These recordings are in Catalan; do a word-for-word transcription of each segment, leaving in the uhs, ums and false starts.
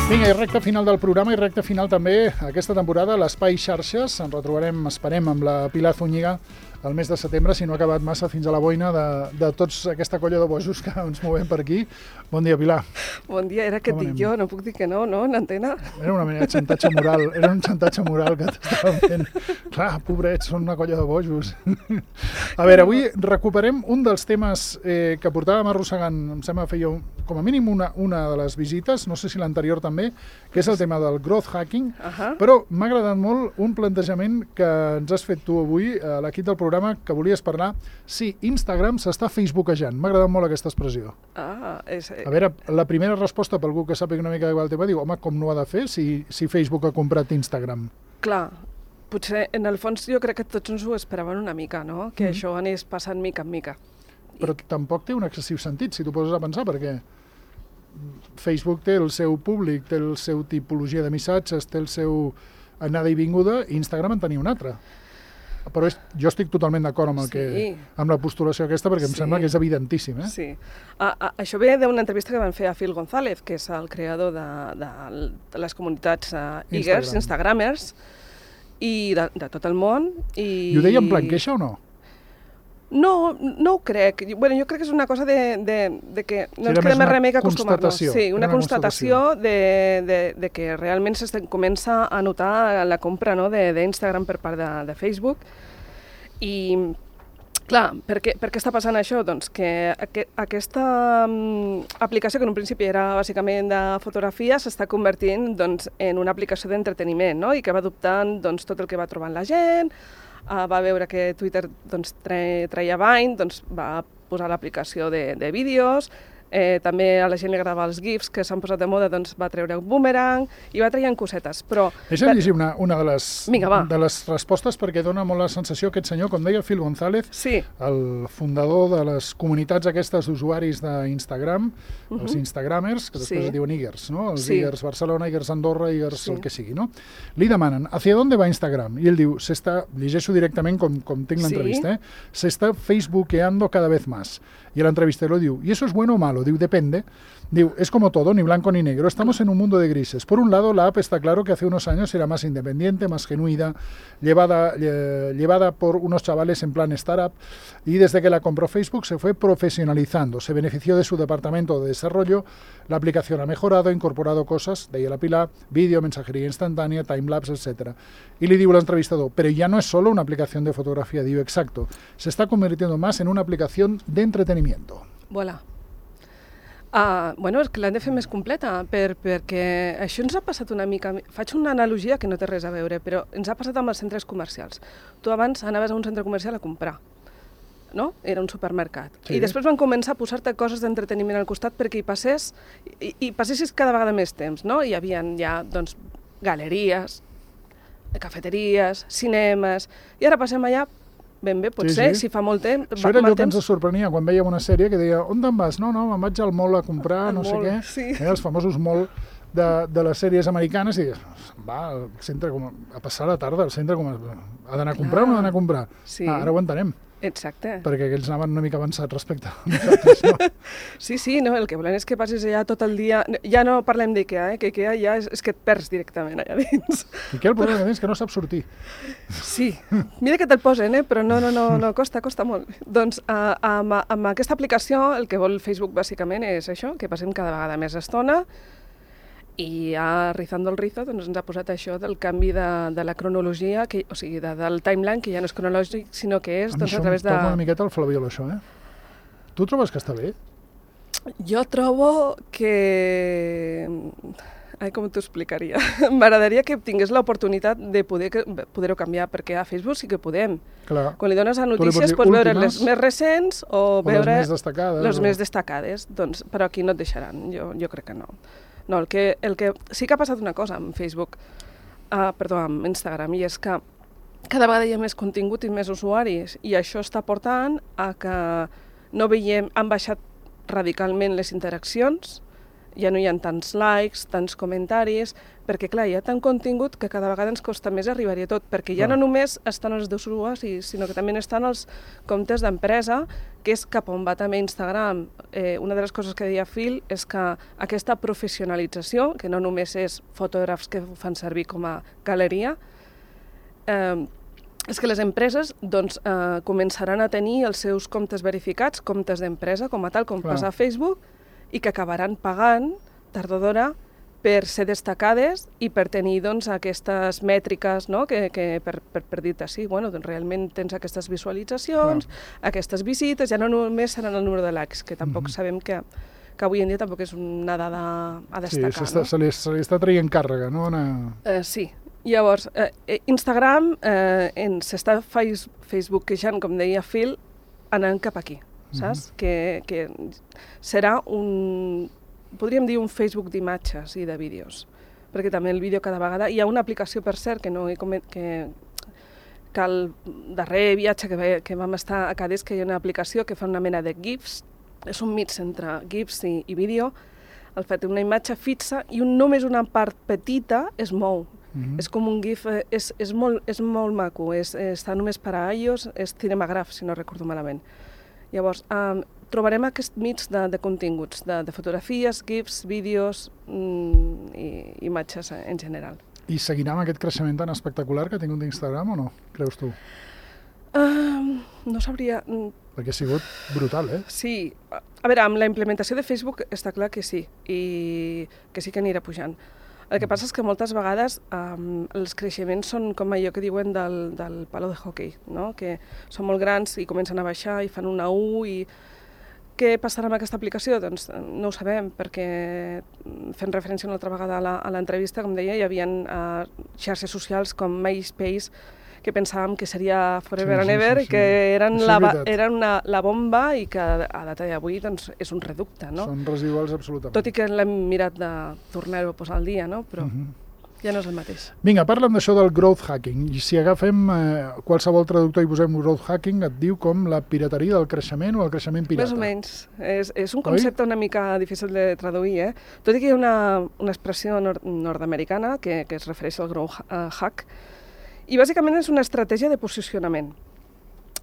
Vinga, i recta final del programa i recta final també aquesta temporada a l'Espai Xarxes. Ens retrobarem, esperem, amb la Pilar Zúñiga el mes de setembre, si no ha acabat massa fins a la boina de, de tots aquesta colla de bojos que ens movem per aquí. Bon dia, Pilar. Bon dia, era que et dic jo, no puc dir que no, no, en antena? Era una manera de xantatge moral, era un xantatge moral que t'estàvem fent. Clar, pobrets, són una colla de bojos. A veure, avui recuperem un dels temes eh, que portàvem arrossegant, em sembla que feia un, com a mínim una, una de les visites, no sé si l'anterior també, que és el tema del growth hacking, uh-huh. Però m'ha agradat molt un plantejament que ens has fet tu avui a l'equip del programa, que volies parlar si Instagram s'està facebookejant. M'ha agradat molt aquesta expressió. Ah, és... A veure, la primera resposta per algú que sàpiga una mica de el tema, diu, home, com no ho ha de fer si, si Facebook ha comprat Instagram? Clar, potser en el fons jo crec que tots ens ho esperaven una mica, no? Que mm. això anés passant mica en mica. Però I... tampoc té un excessiu sentit, si t'ho poses a pensar, perquè Facebook té el seu públic, té el seu tipologia de missatges, té el seu anada i vinguda, i Instagram en tenia un altre. Però és, jo estic totalment d'acord amb, el sí. que, amb la postulació aquesta, perquè em sí. sembla que és evidentíssim. Eh? Sí. A, a, això ve d'una entrevista que van fer a Phil González, que és el creador de, de, de les comunitats uh, Eagers, Instagram. Instagramers, i de, de tot el món. I... I ho deia en plan queixa o no? No, no ho crec. Bueno, jo crec que és una cosa de, de, de que no ens queda més remei que acostumar-nos. Sí, una, una constatació, constatació de, de, de que realment es comença a notar la compra, no, d'Instagram per part de, de Facebook. I, clar, per què, per què està passant això? Doncs que aqu aquesta um, aplicació, que en un principi era bàsicament de fotografia, s'està convertint doncs, en una aplicació d'entreteniment, no? I que va adoptant doncs, tot el que va trobant la gent. Uh, va veure que Twitter doncs, treia Vine, doncs, va posar l'aplicació de, de vídeos, eh, també a la gent li agradava els GIFs que s'han posat de moda, doncs va treure un boomerang i va traient cosetes, però... Deixa'm llegir una, una de, les, Vinga, de les respostes perquè dona molt la sensació aquest senyor, com deia Phil González, sí. el fundador de les comunitats aquestes d'usuaris d'Instagram, uh-huh. els Instagramers, que després sí. es diuen Eagers, no? Els sí. Eagers Barcelona, Eagers Andorra, Eagers sí. el que sigui, no? Li demanen, ¿hacia dónde va Instagram? I ell diu, s'està, llegeixo directament com, com tinc l'entrevista, sí. eh? se está facebookeando cada vez más. Y el entrevistero diu, ¿y eso es bueno o malo? Diu, depende. Diu, es como todo, ni blanco ni negro. Estamos en un mundo de grises. Por un lado, la app está claro que hace unos años era más independiente, más genuina, llevada, eh, llevada por unos chavales en plan startup, y desde que la compró Facebook se fue profesionalizando. Se benefició de su departamento de desarrollo, la aplicación ha mejorado, ha incorporado cosas, de ahí a la pila, vídeo, mensajería instantánea, timelapse, etcétera. Y le digo al entrevistador, pero ya no es solo una aplicación de fotografía, digo, exacto, se está convirtiendo más en una aplicación de entretenimiento. Voilà. Uh, bueno, és que l'hem de fer més completa, per, perquè això ens ha passat una mica... Faig una analogia que no té res a veure, però ens ha passat amb els centres comercials. Tu abans anaves a un centre comercial a comprar, no? Era un supermercat. Sí. I després van començar a posar-te coses d'entreteniment al costat perquè hi passés, i, i passessis cada vegada més temps, no? Hi havia ja, doncs, galeries, cafeteries, cinemes, i ara passem allà... Ben bé, potser, sí, sí. si fa molt temps... Això era allò que ens sorprenia quan vèiem una sèrie que deia, on te'n vas? No, no, me'n vaig al mall a comprar, no sé què. Sí. Eh, els famosos mall de, de les sèries americanes, i va al centre com a passar la tarda, al centre com a... Ha d'anar a comprar o no ha d'anar a comprar? Sí. Ah, ara ho entenem. Exacte. Perquè aquells anaven una mica avançats respecte a nosaltres, no? Sí, sí, no, el que volen és que passis allà tot el dia... Ja no parlem d'IKEA, eh? que IKEA ja és, és que et perds directament allà dins. IKEA el problema és que no sap sortir. Sí, mira que te'l posen, eh? però no, no, no, no, costa, costa molt. Doncs uh, amb, amb aquesta aplicació el que vol Facebook bàsicament és això, que passem cada vegada més estona, i ja Rizando el Rizo doncs, ens ha posat això del canvi de, de la cronologia, que, o sigui, de, del timeline, que ja no és cronològic, sinó que és a doncs, a través de... A mi això em toca una miqueta el flabiol, això, eh? Tu trobes que està bé? Jo trobo que... Ai, com t'ho explicaria? M'agradaria que tingués l'oportunitat de poder-ho poder canviar, perquè a Facebook sí que podem. Clar. Quan li dones a notícies pots veure les més recents o, o veure les més destacades. Les o... més destacades, doncs, però aquí no et deixaran, jo, jo crec que no. No, el que, el que sí que ha passat una cosa amb Facebook, uh, perdó, amb Instagram, i és que cada vegada hi ha més contingut i més usuaris, i això està portant a que no veiem, han baixat radicalment les interaccions, ja no hi ha tants likes, tants comentaris, perquè clar, hi ha tant contingut que cada vegada ens costa més arribar-hi a tot, perquè ja no només estan els usuaris, sinó que també estan els comptes d'empresa, que és cap on va també Instagram. Eh, una de les coses que deia Phil és que aquesta professionalització, que no només és fotògrafs que ho fan servir com a galeria, eh, és que les empreses doncs, eh, començaran a tenir els seus comptes verificats, comptes d'empresa, com a tal, com clar. Passa a Facebook, i que acabaran pagant, tard o d'hora, per ser destacades i per tenir doncs, aquestes mètriques, no? que, que per, per, per dir-te sí, bueno, doncs, realment tens aquestes visualitzacions, clar. Aquestes visites, ja no només seran el número de likes, que tampoc mm-hmm. sabem que, que avui en dia tampoc és una dada a destacar. Sí, no? se, li, se li està traient càrrega, no? Una... Eh, sí. Llavors, eh, Instagram eh, s'està Facebook queixant, com deia Phil, anant cap aquí. Saps? Mm-hmm. Que, que serà un, podríem dir un Facebook d'imatges i de vídeos, perquè també el vídeo cada vegada, hi ha una aplicació per cert que no he coment, que, que el darrer viatge que, ve, que vam estar a Cádiz, que hi ha una aplicació que fa una mena de GIFs, és un mix entre GIFs i, i vídeo, el fet una imatge fixa i un, només una part petita es mou. Mm-hmm. És com un GIF, és, és, molt, és molt maco, és, està només per a iOS, és Cinemagraph, si no recordo malament. Llavors, um, trobarem aquest mix de, de continguts, de, de fotografies, GIFs, vídeos mm, i imatges en general. I seguirà amb aquest creixement tan espectacular que ha tingut d'Instagram o no, creus tu? Um, no sabria... Perquè ha sigut brutal, eh? Sí. A veure, amb la implementació de Facebook està clar que sí, i que sí que anirà pujant. El que passa és que moltes vegades um, els creixements són com allò que diuen del, del palo de hockey, no? Que són molt grans i comencen a baixar i fan una U i... Què passarà amb aquesta aplicació? Doncs no ho sabem, perquè fent referència una altra vegada a l'entrevista, com deia, hi havia uh, xarxes socials com MySpace que pensàvem que seria forever sí, and ever, sí, sí, sí. que eren, la, eren una, la bomba i que a data d'avui doncs, és un reducte, no? Són residuals absolutament. Tot i que l'hem mirat de tornar-ho a posar al dia, no? Però uh-huh. ja no és el mateix. Vinga, parla'm d'això del growth hacking. I si agafem eh, qualsevol traductor i posem growth hacking, et diu com la pirateria del creixement o el creixement pirata. Més o menys. És, és un concepte Oi? Una mica difícil de traduir, eh? Tot i que hi ha una, una expressió nord nord-americana que, que es refereix al growth uh, hack, i bàsicament és una estratègia de posicionament.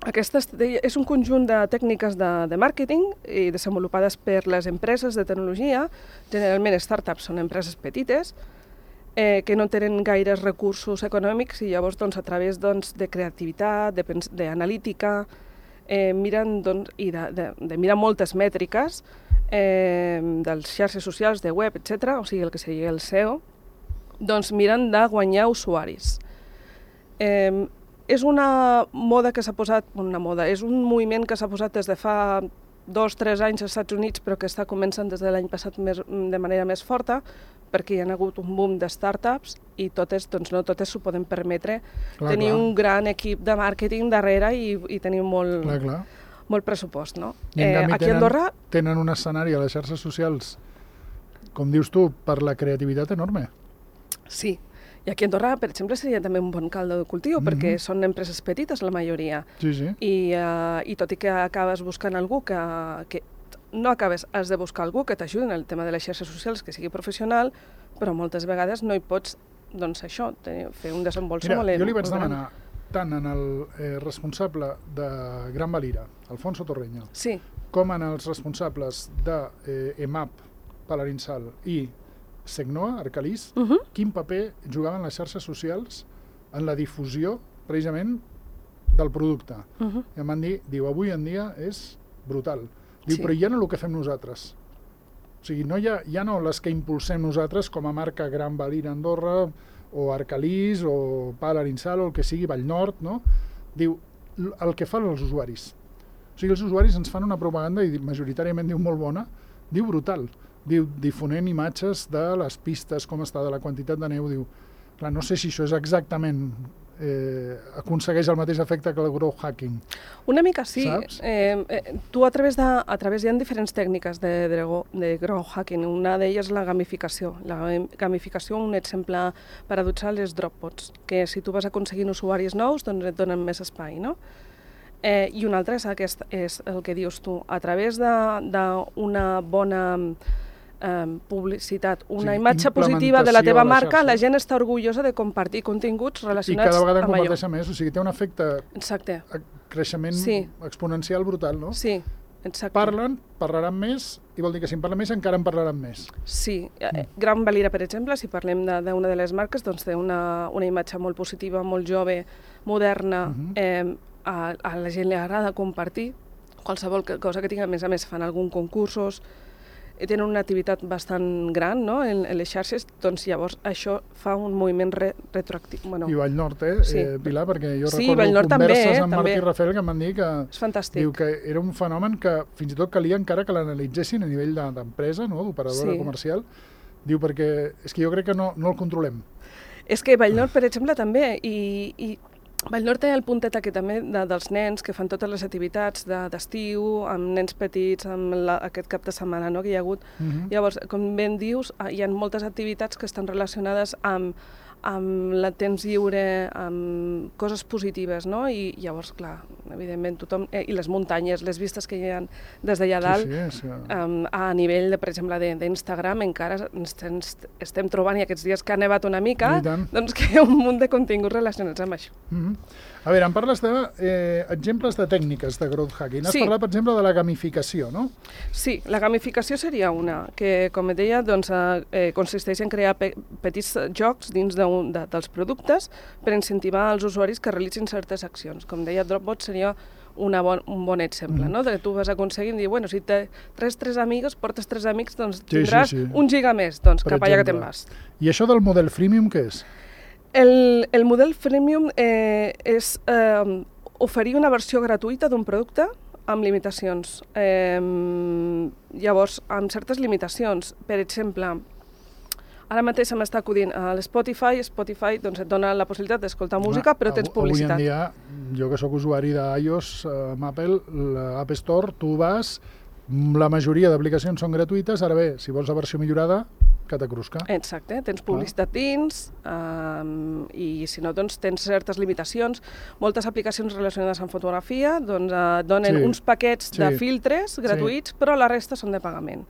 Aquesta és un conjunt de tècniques de, de màrqueting i desenvolupades per les empreses de tecnologia, generalment startups són empreses petites, eh, que no tenen gaires recursos econòmics i llavors doncs, a través doncs, de creativitat, d'analítica, eh, miren doncs, i de, de, de mirar moltes mètriques eh, dels xarxes socials, de web, etcètera, o sigui, el que seria el S E O, doncs miren de guanyar usuaris. Eh, és una moda que s'ha posat, una moda, és un moviment que s'ha posat des de fa dos o tres anys als Estats Units, però que està començant des de l'any passat més, de manera més forta, perquè hi ha hagut un boom de startups i totes, doncs no totes s'ho poden permetre clar, tenir clar. Un gran equip de màrqueting darrere i, i tenir molt, clar, clar. molt pressupost. No? I en canvi eh, aquí tenen, a Andorra... tenen un escenari a les xarxes socials, com dius tu, per la creativitat enorme. Sí. I aquí a Andorra, per exemple, seria també un bon caldo de cultiu, mm-hmm. perquè són empreses petites, la majoria. Sí, sí. I, uh, i tot i que acabes buscant algú que... que no acabes, has de buscar algú que t'ajudi en el tema de les xarxes socials, que sigui professional, però moltes vegades no hi pots, doncs això, tenir, fer un desenvolupament Mira, molt jo li vaig demanar tant en el eh, responsable de Gran Valira, Alfonso Torreña, sí. com en els responsables de eh, E M A P, Palarinsal i Segnoa, Arcalís, uh-huh. quin paper jugaven les xarxes socials en la difusió, precisament, del producte. Uh-huh. I em van dir, diu, avui en dia és brutal. Diu, sí. Però ja no el que fem nosaltres. O sigui, no hi ha, ja no les que impulsem nosaltres com a marca Gran Valira Andorra, o Arcalís, o Palarinsal, o el que sigui, Vallnord, no? Diu, el que fan els usuaris. O sigui, els usuaris ens fan una propaganda, i majoritàriament diu molt bona, diu brutal. Diu, difonent imatges de les pistes, com està, de la quantitat de neu, diu, clar, no sé si això és exactament, eh, aconsegueix el mateix efecte que el growth hacking. Una mica sí. Eh, eh, tu a través de, a través hi ha diferents tècniques de, de, de growth hacking, una d'elles és la gamificació. La gamificació, un exemple paradoxal és Dropbox, que si tu vas aconseguint usuaris nous, doncs et donen més espai, no? Eh, I un altre és, aquest, és el que dius tu, a través d'una bona eh, publicitat, una sí, imatge positiva de la teva de la marca, la gent està orgullosa de compartir continguts relacionats amb allò. I cada vegada en comparteixen més, o sigui, té un efecte Exacte. creixement sí. exponencial brutal, no? Sí, exacte. Parlen, parlaran més, i vol dir que si en parlen més encara en parlaran més. Sí. Mm. Gran Valira, per exemple, si parlem d'una de, de les marques, doncs té una, una imatge molt positiva, molt jove, moderna, mm-hmm. eh, a, a la gent li agrada compartir qualsevol cosa que tingui. A més a més fan alguns concursos, i tenen una activitat bastant gran, no?, en, en les xarxes, doncs llavors això fa un moviment re, retroactiu. Bueno, I Vallnord, eh, sí. eh, Pilar, perquè jo sí, recordo converses també, eh, amb Marc i Rafael que em van dir que, és fantàstic. Diu que era un fenomen que fins i tot calia encara que l'analitzessin a nivell d'empresa, no?, d'operadora sí. comercial. Diu, perquè és que jo crec que no, no el controlem. És que Vallnord, per exemple, també, i, i Vallnord té el puntet aquest també de, dels nens que fan totes les activitats d'estiu, de, amb nens petits, amb la, aquest cap de setmana, no?, que hi ha hagut. Uh-huh. Llavors, com ben dius, hi ha moltes activitats que estan relacionades amb, amb el temps lliure, amb coses positives, no? I llavors, clar, evidentment, tothom... Eh, I les muntanyes, les vistes que hi ha des d'allà dalt, sí, sí, sí. Um, a nivell, de, per exemple, d'Instagram, encara ens, ens estem trobant, i aquests dies que ha nevat una mica, doncs que hi ha un munt de continguts relacionats amb això. Mm-hmm. A veure, em parles d'exemples de, eh, de tècniques de growth hacking. Has sí. parlat, per exemple, de la gamificació, no? Sí, la gamificació seria una, que, com et deia, doncs, eh, consisteix en crear pe petits jocs dins de, un, de dels productes per incentivar els usuaris que realitzin certes accions. Com deia, Dropbot seria una bon, un bon exemple, mm. no? De que tu vas aconseguint dir, bueno, si te tres tres amics, portes tres amics, doncs tindràs sí, sí, sí. un giga més, doncs per cap exemple. Allà que te'n vas. I això del model freemium, què és? El, el model freemium eh, és eh, oferir una versió gratuïta d'un producte amb limitacions. Eh, llavors, amb certes limitacions. Per exemple, ara mateix se m'està acudint a l'Spotify. Spotify doncs, et dona la possibilitat d'escoltar música, ah, però tens publicitat. Avui en dia, jo que sóc usuari d'iOS, amb Apple, l'App Store, tu vas, la majoria d'aplicacions són gratuïtes, ara bé, si vols la versió millorada, que t'acrusca. Exacte, tens publicitat ah. dins, um, i si no, doncs tens certes limitacions. Moltes aplicacions relacionades amb fotografia doncs, uh, donen sí. uns paquets sí. de filtres gratuïts, sí. però la resta són de pagament.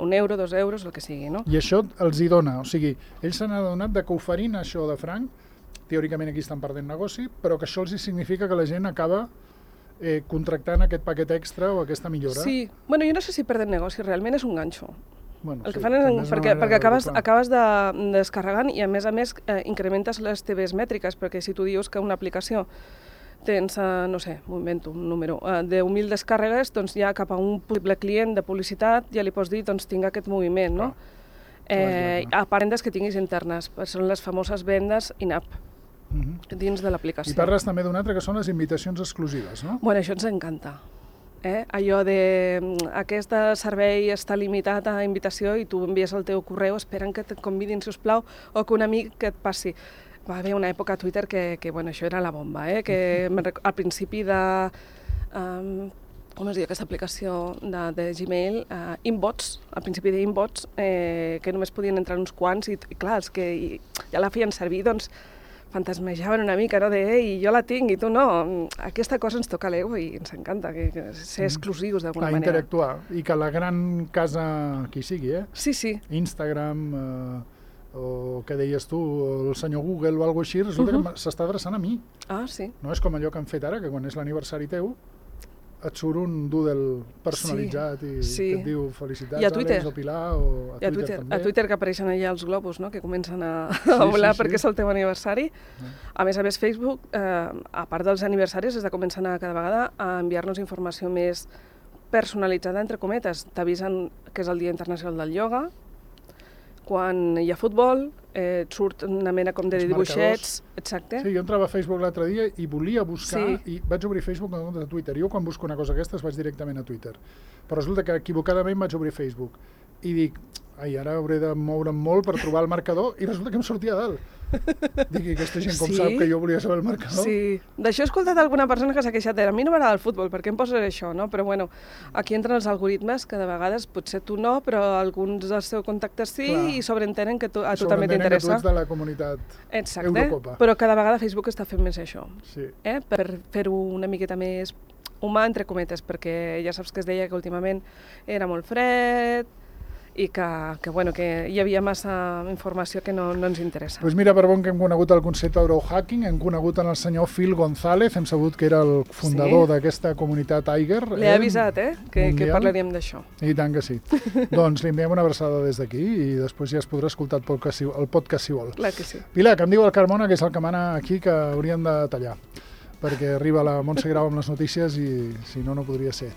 Un euro, dos euros, el que sigui, no? I això els hi dona, o sigui, ells s'han adonat de que oferint això de franc, teòricament aquí estan perdent negoci, però que això els significa que la gent acaba eh, contractant aquest paquet extra o aquesta millora. Sí, bueno, jo no sé si perden negoci, realment és un ganxo. Bueno, el que sí, fan és, és perquè, perquè acabes, acabes de, descarregant i a més a més eh, incrementes les teves mètriques, perquè si tu dius que una aplicació tens, eh, no sé, m'ho invento, un número, eh, deu mil descàrregues, doncs ja cap a un possible client de publicitat ja li pots dir, doncs tinc aquest moviment, no? Ah, eh, a part vendes que tinguis internes, són les famoses vendes in-app. Uh-huh. Dins de l'aplicació. I parles també d'un altre que són les invitacions exclusives, no? Bueno, això ens encanta. Eh? Allò de aquest servei està limitat a invitació i tu envies el teu correu esperant que et convidin, sisplau, o que un amic que et passi. Va haver una època a Twitter que, que bueno, això era la bomba, eh? Que al principi de... Um, com es diu aquesta aplicació de, de Gmail? Uh, Inbox, al principi d'Inbox, eh, que només podien entrar uns quants i, i clar, els que i, ja la feien servir, doncs, fantasmejaven una mica, no? De, ei, jo la tinc i tu no. Aquesta cosa ens toca l'ego i ens encanta, que, que ser exclusius d'alguna manera. Interactuar, i que la gran casa, qui sigui, eh? Sí, sí. Instagram, eh, o què deies tu, el senyor Google o alguna cosa així, resulta uh-huh. que s'està adreçant a mi. Ah, sí. No és com allò que han fet ara, que quan és l'aniversari teu, et surt un doodle personalitzat sí, i sí. que et diu felicitats, I a Twitter. Àlex o Pilar, o a, I a Twitter, Twitter també. A Twitter que apareixen allà els globus, no?, que comencen a, sí, a volar sí, perquè sí. és el teu aniversari. Sí. A més a més, Facebook, eh, a part dels aniversaris, està començant a cada vegada a enviar-nos informació més personalitzada, entre cometes. T'avisen que és el Dia Internacional del Ioga, quan hi ha futbol, eh, et surt una mena com de els dibuixets. Marcadors. Exacte. Sí, jo entrava a Facebook l'altre dia i volia buscar, sí. i vaig obrir Facebook en compte de Twitter. Jo quan busco una cosa d'aquestes vaig directament a Twitter. Però resulta que equivocadament vaig obrir Facebook i dic, ai, ara hauré de moure'm molt per trobar el marcador, i resulta que em sortia a dalt. Dic, aquesta gent com sí? sap que jo volia saber el marcador? Sí, d'això he escoltat alguna persona que s'ha queixat, a mi no m'agrada el futbol, per què em poses això, no? Però bueno, aquí entren els algoritmes que de vegades potser tu no, però alguns dels teus contactes sí. Clar. I sobreentenen que tu, a tu també t'interessa. Que tu ets de la comunitat Exacte. Eurocopa. Però cada vegada Facebook està fent més això, sí. eh? Per fer-ho una miqueta més humà, entre cometes, perquè ja saps que es deia que últimament era molt fred, i que, que, bueno, que hi havia massa informació que no, no ens interessa. Doncs mira, per bon que hem conegut el concepte d'Eurohacking, hem conegut en el senyor Phil González, hem sabut que era el fundador sí. d'aquesta comunitat Tiger. L'he eh? avisat, eh? Que, que parlaríem d'això. I tant que sí. Doncs li enviem una abraçada des d'aquí i després ja es podrà escoltar el podcast, el podcast si vol. Clar que sí. Pilar, que em diu el Carmona, que és el que mana aquí, que hauríem de tallar, perquè arriba la Montse Grau amb les notícies i si no, no podria ser.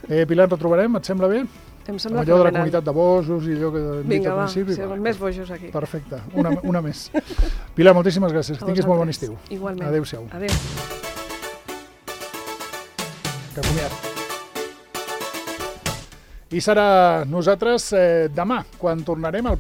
Eh, Pilar, ens retrobarem, et sembla bé? Em sembla allò de la comunitat de bojos i allò que hem dit al principi. Vinga, va, sí, més bojos aquí. Perfecte, una, una més. Pilar, moltíssimes gràcies, que tinguis molt bon estiu. Igualment. Adéu-siau. Adéu. Que comiat. I serà nosaltres eh, demà, quan tornarem al